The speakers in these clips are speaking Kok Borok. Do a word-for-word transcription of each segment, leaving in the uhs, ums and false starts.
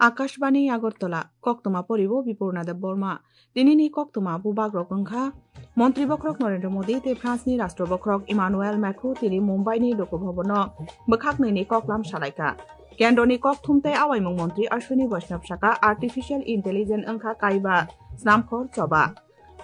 Akashbani Agartala, koktwma poribo Bipurna Debbarma. Tinini koktwma bubagrok wngkha, Montri bokhorok Narendra Modi tei France ni Rashtra bokhorok Emmanuel Macron tini Mumbai ni Lok Bhavan o bwkhak nwi ni koklam salaikha. Kendroni kokthum tei awaimung montri Ashwini Vaishnaw saka artificial intelligence wngkha kaiba snamkhor choba.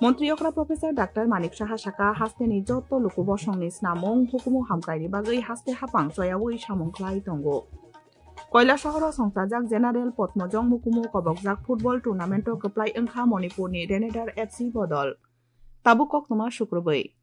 Montri okra Professor Doctor Manik Saha saka hasteni joto luku bosongni snamung hukumu hamkraini bagwi haste hapang choyawi samung khlai tongo. Koilasahoro songchajak General Padmajong mukumu kobokjak football tournament o kwplai wngkha Manipurni Renedar F C bodol. Tabuk koktwma sukrubwi.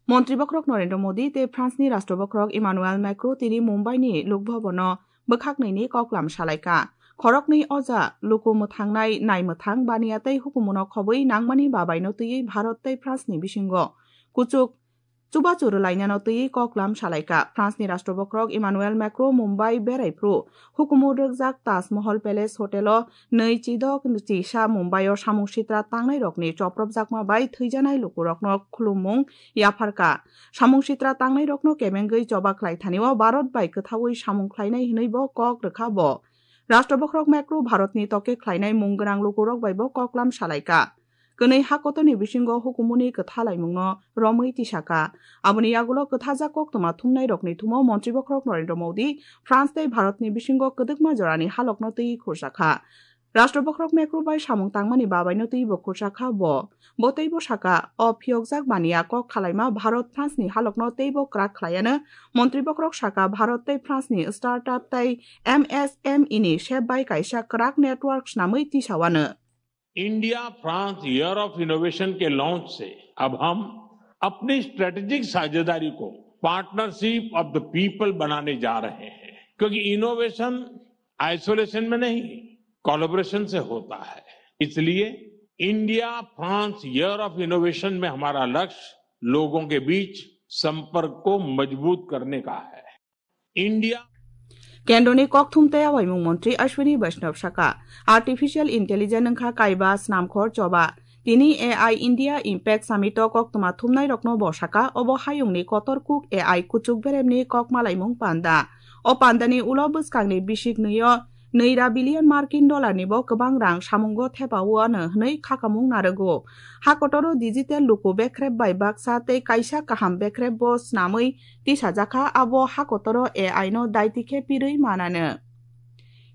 Montri bokhorok Narendra Modi tei France ni Rashtra bokhorok Emmanuel Macron tini Mumbai ni Lok Bhavan o bwkhak nwi ni koklam salaikha. Khoroknwi oja luku mwthangnai nai mwthang baniya tei hukumuno khobwi nangmani babaino twiwi Bharat tei France ni bisingo kuchuk chubachu rwlainano twiwi koklam salaikha. France ni Rashtra bokhorok Emmanuel Macron Mumbai berai phru hukumu rwkjak Taj Mahal Palace Hotel o nwi chidok chisa Mumbai o samung sitra tangnai rokni chopropjakma bai thwijanai lukurokno khulummung yapharkha. Samung sitra tangnai rokno kebengwi choba khlai thani o Bharat bai kwthaui samung khlainai hwnwi bo kok rwkha bo. Rashtra bokhorok Macron Bharatni toke khlainai mung gwnang lukurok bai bo koklam salaikha. Kwnwi ha kotorni bisingo hukumuni kwtha laimungno romwi tisakha. Aboni yagulo kwthajak koktwma thumnairokni thumo Montri bokhorok Narendra Modi France tei Bharatni bisingo kwdwkma jorani halokno twiwi khurjakha. Rashtra bokhorok Macron bai samung tangmani babaino twiwi bo khurjakha bo. Bo teibo saka, o phiyokjak baniya kok khalaima Bharat France ni halokno teibo kwrak khlaiano. Montri bokhorok saka Bharat tei France ni startup tei M S M E ni sep bai kaisa kwrak network snamwi tisawano. India France Year of Innovation के लॉन्च से अब हम अपनी स्ट्रेटेजिक साझेदारी को partnership of the people बनाने जा रहे हैं, क्योंकि इनोवेशन आइसोलेशन में नहीं, कोलैबोरेशन से होता है। इसलिए India France year of innovation में हमारा लक्ष्य लोगों के बीच संपर्क को मजबूत करने का है। India Kendroni kokthum tei awaimung montri Ashwini Vaishnaw saka, artificial intelligence wngkha kaiba snamkhor choba. Tini A I India Impact Summit o koktwma thumnairokno bo saka, obo hayungni kotor kuk A I kuchuk beremni kok malaimung panda. O pandani ulo bwskangni bisik nwi o nwi ra billion Markin dollar ni bo kwbang rang samungo thepa o ano hwnwi khakamung narwgo. Ha kotoro digital luku bekrep bai baksa tei kaisa kaham bekrep bo snamwi tisajakha, abo ha kotoro A I no daiti khe pirwi manano.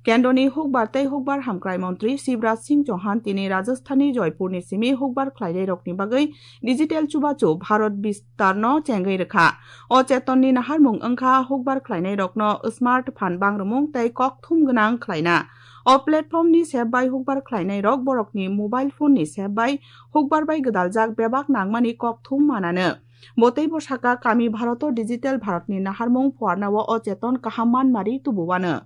Kendroni hukbar tei hukbar hamkrai montri Shivraj Singh Chauhan tini Rajasthanni Joypurni simi hukbar khlainairokni bagwi digital chubachu Bharat Bistarno chengwi rwkha. O chetonni naharmung wngkha hukbar khlainairokno smart phan bangrumung tei kokthum gwnang khlaina. O platformni sep bai hukbar khlainairok borokni mobile phoneni sep bai hukbar bai gwdaljak bebak nangmani kokthum manano. Bo teibo saka, kami Bharoto digital Bharotni naharmung phuarnao o cheton kaham manmari tubuwano.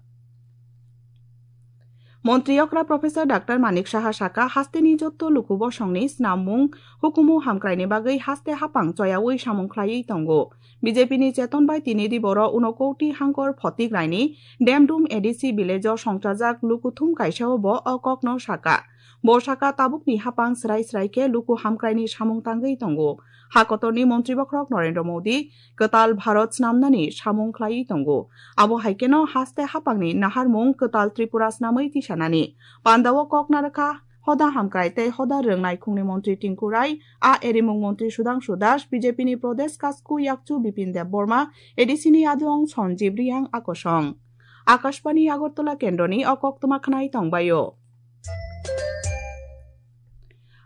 Montri okra Professor Doctor Manik Saha saka, hasteni jotto luku bosongni snamung hukumu hamkraini bagwi haste hapang choyaui samung khlaiwi tongo. B J P ni cheton bai tini diboro unokoti hangkor Photik Raini Demdum A D C village o songchajak lukuthum kaisao bo o kokno saka. Bo saka, tabukni hapang srai srai khe luku hamkraini samung tangwi tongo. Ha kotorni montri bokhorok Narendra Modi kwtal Bharat snamnani samung khlaiwi tongo. Abo hai kheno haste hapangni naharmung kwtal Tripura snamwi tisanani. Pandao kok narwkha hoda hamkrai tei hoda rwngnai khungni montri Tinku Rai, a erimung montri Sudhangshu Das, B J P ni Pradesh Kasku Yakchu Bipin Deb Borma, A D C ni Adong Sanjeev Reang akosong. Akashbani Agartala kendroni o koktwma khwnai tongbaio.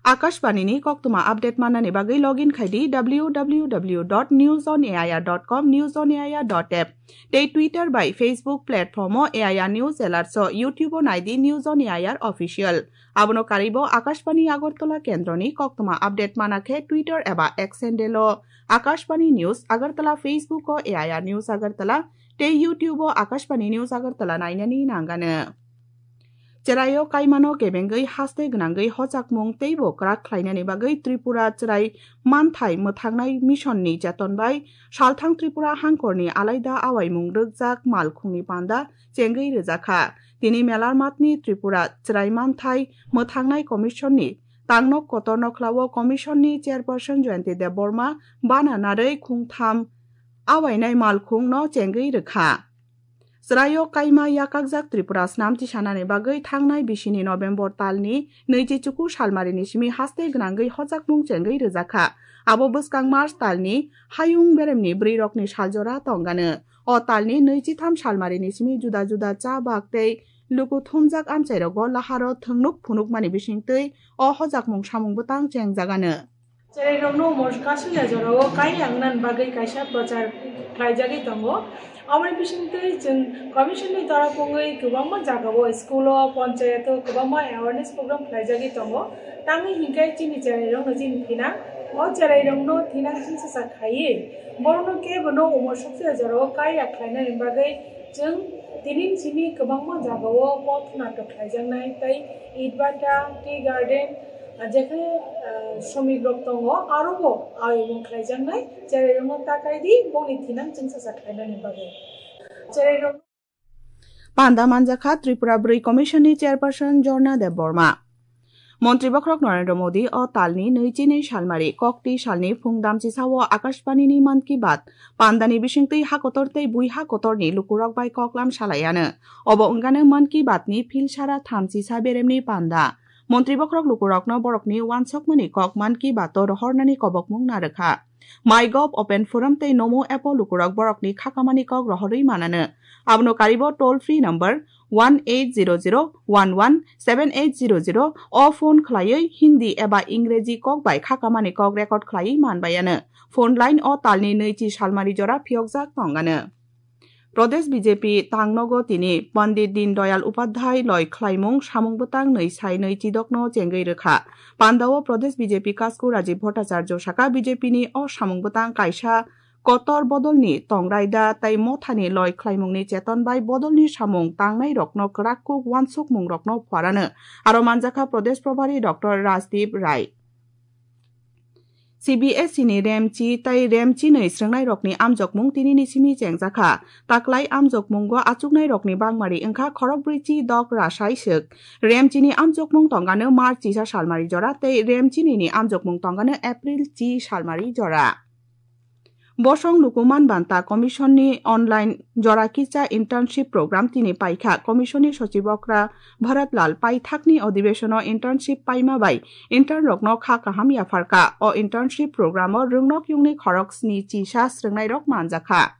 Akashbani ni koktwma update mannani bagwi login khai di W W W dot news on A I R dot com, news on A I R dot app tei Twitter bai Facebook platform o A I R News Alerts o, YouTube o nai di News on A I R Official. Abono karwi bo Akashbani Agartala kendroni koktwma update mana khe Twitter eba X handle o Akashbani News Agartala, Facebook o A I R News Agartala tei YouTube o Akashbani News Agartala nainani nangano. Cheraio kaimano kebengwi haste gwnangwi hochakmung teibo kwrak khlainani bagwi Tripura Cherai Manthai Mwthangnai Mission ni cheton bai salthang Tripura hangkorni alaida awaimung rwkjak malkhungni panda chengwi rwjakha. Tini Melarmatni Tripura Cherai Manthai Mwthangnai Commission ni Tangnok kotor nokhlao Commission ni Chairperson Jayanti Debbarma bana narwi khungtham awainai malkhung no chengwi rwkha. Chwraio kaima yakakjak Tripura snam tisanani bagwi thangnai bisini November talni nwichi chuku salmarini simi haste gwnangwi hojakmung chengwi rwjakha. Abo bwskang March talni hayung beremni bwrwirokni saljora tongano. O talni nwichitham salmarini simi juda juda cha bak tei luku thumjak amchairogo laharo thwngnuk phunukmani bisingtwi o hojakmung samung bwtang chengjagano. Cherairokno omo kasu ya jorao kai wngna bagwi kaisa prochar khlaijagwi tongo. Aboni bisingtwi chwng commission ni torop wngwi kwbangma jagao, school o, ponchayat o kwbangma awareness program khlaijagwi tongo. Tamni hinkhe chini cherairokno chini thinang, o cherairokno thinang chwngsacha khaiwi borokno kebono omo suksa jorao kai ya khlainani bagwi chwng tini simi kwbangma jagao poth natok khlaijaknai tei Itbata, Tea Garden, Jekhai, ah, shomik rok tongo, aro bo ayung khlaijaknai, cherairokno takai di, bongni thinang chwngsacha khlainani bagwi. Cherairok Panda manjakha Tripura Bwrwi Commission ni Chairperson Jorna Debbarma. Montri Bokhorok Narendra Modi o talni nwichini salmari kokti salni phung damchisao Akashbani ni Mann Ki Baat pandani bisingtwi hakotor tei bui hakotorni lukurok bai koklam salaiano. Obo wngano Mann Ki Baat ni philsara thamchisa beremni panda. Montri bokhorok lukurokno borokni uansukmani kok Mann Ki Baat-o rohornani kobokmung narwkha. MyGov Open Forum tei Namo app-o lukurok borokni khakamani kok rohorwi manano. Abono karibo toll free number one eight zero zero one one seven eight zero zero o phone khlaiwi Hindi eba Ingreji kok bai khakamani kok record khlaiwi manbaiano. Phone line-o talni nwichi salmari jora phiyokjak tongano. Pradesh B J P tangnogo tini Pandit Deen Dayal Upadhyay loi khlaimung samung bwtang nwi sai nwi chidokno chengwi rwkha. Pandao Pradesh B J P kasku Rajiv Bhattacharya saka B J P ni o samung bwtang kaisa kotor bodolni tongraida tei mothani loi khlaimungni cheton bai bodolni samung tangnairokno kwrak kuk uansukmungrokno phuarano. Aro manjakha Pradesh Probhari Doctor Rajdeep Rai. C B S E ni Remchi tei Remchi nwi srwngnairokni amjokmung tinini simi chengjakha. Taklai amjokmungo achuknairokni bangmari wngkha khorokbrwi chi dok rasai swk. Remchini amjokmung tongano March chisa salmari jora tei Remchini ni amjokmung tongano April chi salmari jora. Bosong Lukuman Banta Commission ni online jora kisa internship program tini paikha. Commission ni Sochib Okra Bharat Lal paithakni odhibesono internship paima bai intern rokno kha kaham yapharkha. O internship program o rwngnok yungni khorok sni chisa srwngnairok manjakha.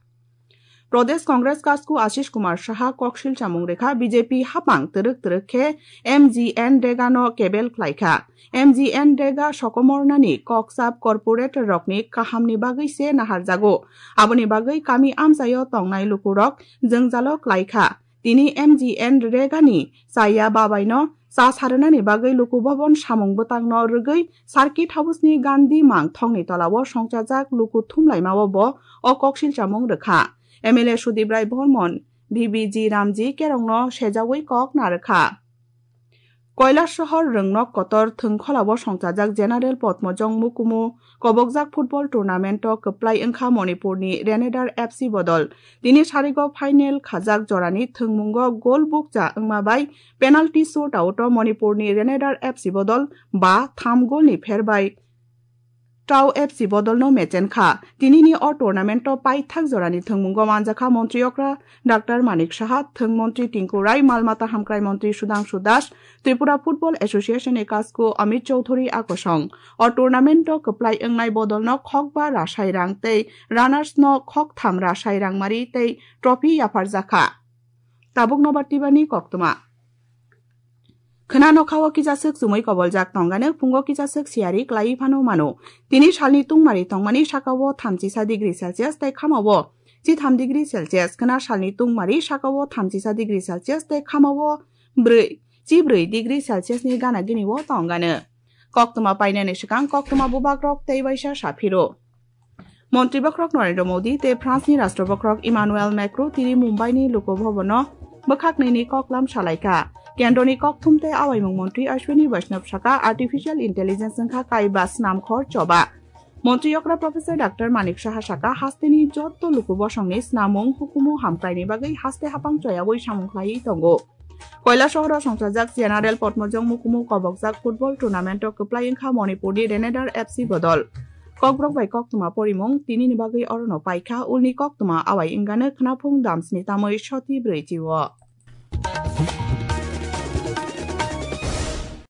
Pradesh Congress kasku Ashish Kumar Saha koksil chamung rekha, B J P hapang twrwk twrwk khe M G N Rega no kebel khlaikha. M G N Rega sokomornani kokchap corporate rokni kahamni bagwi se naharjago. Aboni bagwi kami amchaio tongnai lukurok jwngjalo klaikha. Tini M G N Rega ni chaya babaino cha sarwnani bagwi luku bobon samung bwtangno rwgwi Circuit House ni Gandhi Mang thongni tolao songchajak luku thumlaimao bo o koksil chamung rwkha. M L A Sudip Rai Bormon, V B G Ramji kerongno sejawi kok narwkha. Koilasohor rwngnok kotor thwngkholao songchajak General Padmojong Mukumu kobokjak football tournament o kwplai wngkha Manipurni Renedar F C bodol. Tini sarigo final khajak jorani thwngmungo gol bukcha wngma bai penalty shootout o Manipurni Renedar F C bodol ba tham golni pher bai Tau F C bodolno mechen kha. Tinini o tournament o paithak jorani thwngmungo manjakha Montri Okra Doctor Manik Saha, Thwng Montri Tinku Rai, Malmata Hamkrai Montri Sudhangshu Das, Tripura Football Association ni kasku Amit Chowdhury akosong. O tournament o kwplai wngnai bodolno khokba rasai rang tei runners no khoktham rasai rangmari tei trophy yapharjakha. Tabuk nobar tibani koktwma. Khwna nokha o kisa swk chumui koboljak tongano, phungo kisa swk siyari klaiwi phano mano. Tini salni tungmari tongmani saka o thamchisa degree Celsius tei khama o chitham degree Celsius. Khwna salni tungmari saka o thamchisa degree Celsius tei khama o brwi, chibrwi degree Celsius ni gana gini o tongano. Koktwma painani swkang koktwma bubagrok tei waisa saphiro. Montri bokhorok Narendra Modi tei France ni Rashtra bokhorok Emmanuel Macron tini Mumbai ni Lok Bhavan o bwkhak nini koklam salaikha. Kendroni kokthum tei awaimung montri Ashwini Vaishnaw saka artificial intelligence wngkha kaiba snamkhor choba. Montri okra Professor Doctor Manik Saha saka hasteni jotto luku bosongni snamung hukumu hamkraini bagwi haste hapang choyawi samung khlaiwi tongo. Koilasohoro songchajak General Potmojong Mukumu kobokjak football tournament o kwplai wngkha Manipurni Renedar F C bodol. Kokborok bai koktwma porimung tinini bagwi orono paikha, ulni koktwma awai wngano khnaphung damsni tamwi soti brwichi o.